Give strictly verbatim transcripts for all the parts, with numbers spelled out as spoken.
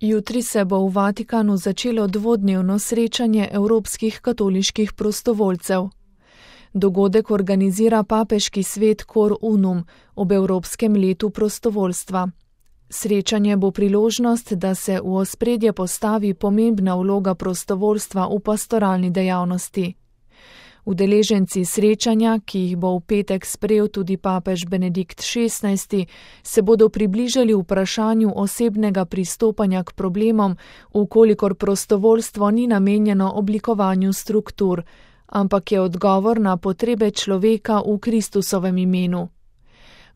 Jutri se bo v Vatikanu začelo dvodnevno srečanje evropskih katoliških prostovoljcev. Dogodek organizira papeški svet Cor Unum ob Evropskem letu prostovoljstva. Srečanje bo priložnost, da se v ospredje postavi pomembna vloga prostovoljstva v pastoralni dejavnosti. Udeleženci srečanja, ki jih bo v petek sprejel tudi papež Benedikt šestnajsti, se bodo približali vprašanju osebnega pristopanja k problemom, vkolikor prostovoljstvo ni namenjeno oblikovanju struktur, ampak je odgovor na potrebe človeka v Kristusovem imenu.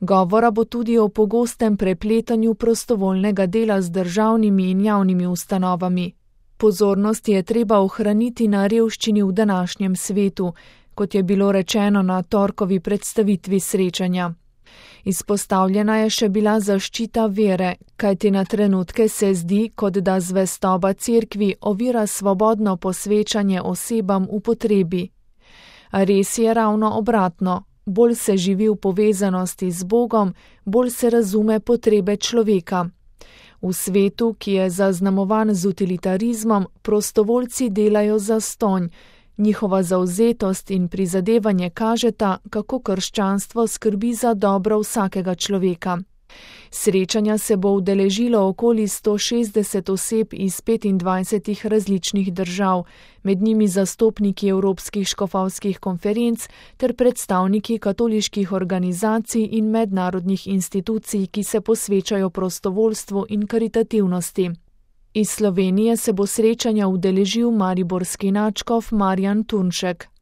Govora bo tudi o pogostem prepletanju prostovoljnega dela z državnimi in javnimi ustanovami. Pozornost je treba ohraniti na revščini v današnjem svetu, kot je bilo rečeno na torkovi predstavitvi srečanja. Izpostavljena je še bila zaščita vere, kajti na trenutke se zdi, kot da zvestoba cerkvi ovira svobodno posvečanje osebam v potrebi. A res je ravno obratno, bolj se živi v povezanosti z Bogom, bolj se razume potrebe človeka. V svetu, ki je zaznamovan z utilitarizmom, prostovoljci delajo zastonj. Njihova zavzetost in prizadevanje kažeta, kako krščanstvo skrbi za dobro vsakega človeka. Srečanja se bo udeležilo okoli sto šestdeset oseb iz petindvajsetih različnih držav, med njimi zastopniki evropskih škofovskih konferenc ter predstavniki katoliških organizacij in mednarodnih institucij, ki se posvečajo prostovoljstvu in karitativnosti. Iz Slovenije se bo srečanja udeležil mariborski nadškof Marjan Turnšek.